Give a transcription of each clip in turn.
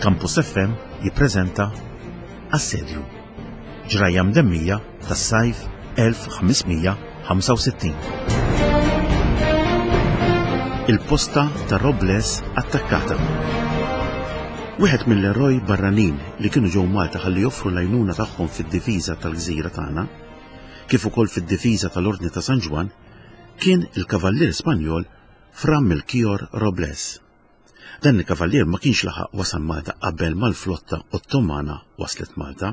Campus FM jippreżenta Assedju. Ġrajja mdemmija tas-sajf 1565. Il-posta ta' Robles attakkata. Wieħed mill-eroj barranin li kienu ġew Malta ħalli joffru l-għajnuna tagħhom fid-difiża tal-gżira tagħna, kif ukoll fid-difiża tal-Ordni ta' San Ġwann, kien il-kavallier Spanjol Fra Melchior Robles. Dan il-kavallier ma kienx laħaq wasal Malta qabel ma l-flotta Ottomana waslet Malta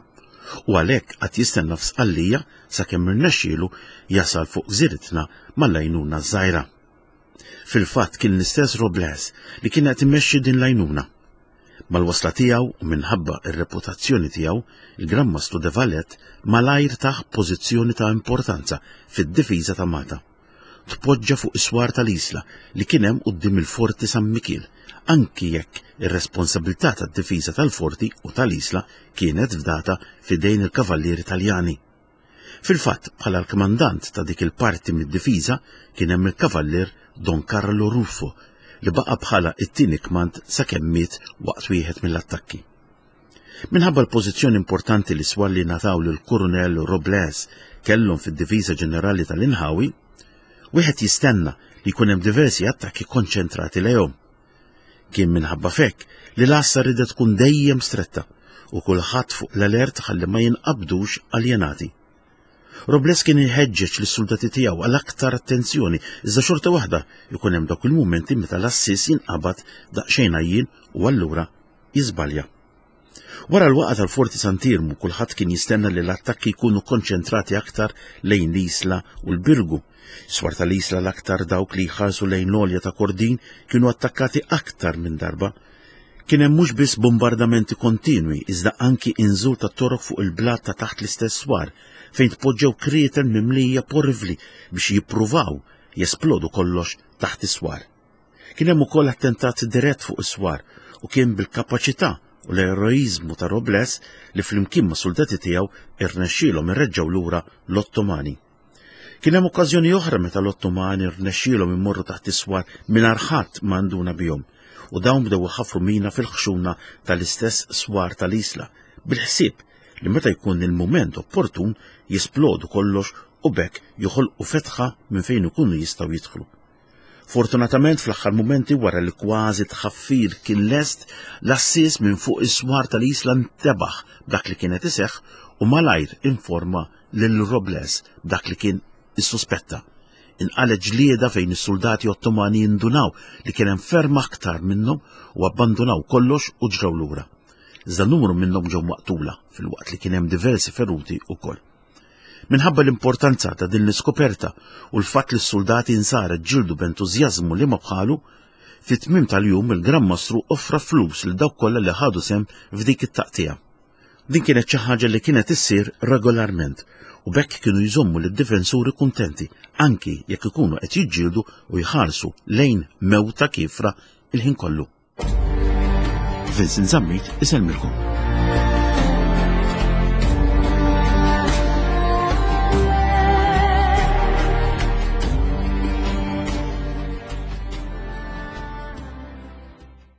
u għalhekk qagħad jistenna f'Sqallija sakemm irnexxielu jasal fuq gżiritna mal-għajnuna ż-żgħira. Fil-fatt kien l-istess Robles li kien qed imexxi din l-għajnuna. Mal-wasla tiegħu u minħabba r-reputazzjoni tiegħu, il-Gran Mastru de Valette malajr tah pożizzjoni ta' importanza fid-difiża ta' Malta. Tpoġġa fuq is-swar tal-Isla li kien hemm quddiem il-Forti San Mikiel, anki jekk ir-responsabilità tad-difiża tal-forti u tal-Isla kienet fdata f'idejn il-Kavallieri Taljani. Fil-fatt, bħala l-kmandant ta' dik il-parti mid-difiża kien hemm il-Kavallier Don Carlo Ruffo li baqa' bħala t-tieni kmand sakemm miet waqt wieħed mill-attakki. Minħabba l-pożizzjoni importanti li swar li ngħataw lill-Kurunell Robles kellhom fid-difiża ġenerali tal-inħawi, wieħed jistenna li jkun hemm diversi attakki konċentrati lejhom. Kien minħabba f'hekk li l-għassa ridet tkun dejjem stretta u kulħadd fuq l-alert ħalli ma jinqabdux aljenati. Robles kien iħeġġeġ lis-suldati tiegħu għal aktar attenzjoni, iżda xorta waħda jkun hemm dawk il-mumenti meta l-għassies jinqabad daqsxejn għajjien u allura jiżbalja. Wara l-waqgħa tal-Forti Sant'Iermu kulħadd kien jistenna li l-attakki jkunu konċentrati aktar lejn l-Isla u l-Birgu. Swar tal-Isla l-aktar dawk li jħarsu lejn l-għolja ta' Kordin kienu attakkati aktar minn darba. Kien hemm mhux biss bombardamenti kontinwi iżda anki inżul ta' torok fuq il-blat ta' taħt l-istess swar fejn tpoġġew krieten mimlija porvli biex jippruvaw jesplodu kollox taħt is-swar. Kien hemm ukoll attentat dirett fuq is-swar u kien bil-kapaċità u l-eroiżmu ta' Robles li flimkien ma' suldati tiegħu irnexxielhom ireġġgħu lura l-Ottomani. Kien hemm okkażjoni oħra meta l-Ottomani rnexxielhom immorru taħt is-swar mingħajr ħadd ma nduna bihom u dawn bdew iħaffru mina fil-ħxuna tal-istess swar tal-Isla bil-ħsieb li meta jkun il-mument opportun jisplodu kollox u b'hekk joħolqu fetħa minn fejn ikunu jistgħu jidħlu. Fortunatament fl-aħħar mumenti wara li kważi tħaffir kien lest, l-għassies minn fuq is-swar tal-Isla ntebaħ b'dak li kien qed iseħħ u malajr informa lil Robles b'dak li kien issuspetta. Inqalgħet ġlieda fejn is-suldati Ottomani indunaw li kien hemm ferm aktar minnhom u abbandunaw kollox u ġrew lura. Iżda numru minnhom ġew maqtula filwaqt li kien hemm diversi feruti wkoll. Minħabba l-importanza ta' din l-iskoperta u l-fatt li s-suldati insara ġġieldu b'entużjażmu liema bħalu, fit-tmiem tal-jum il-Gran Mastru offra flus lil dawk kollha li ħadu sehem f'dik it-taqtiegħa. Din kienet xi ħaġa li kienet issir regolarment u b'hekk kienu jżommu lid-difensuri kuntenti anki jekk ikunu qed jiġġieldu u jħarsu lejn mewta kiefra il-ħin kollu. Vincent Zammit isellmilkom.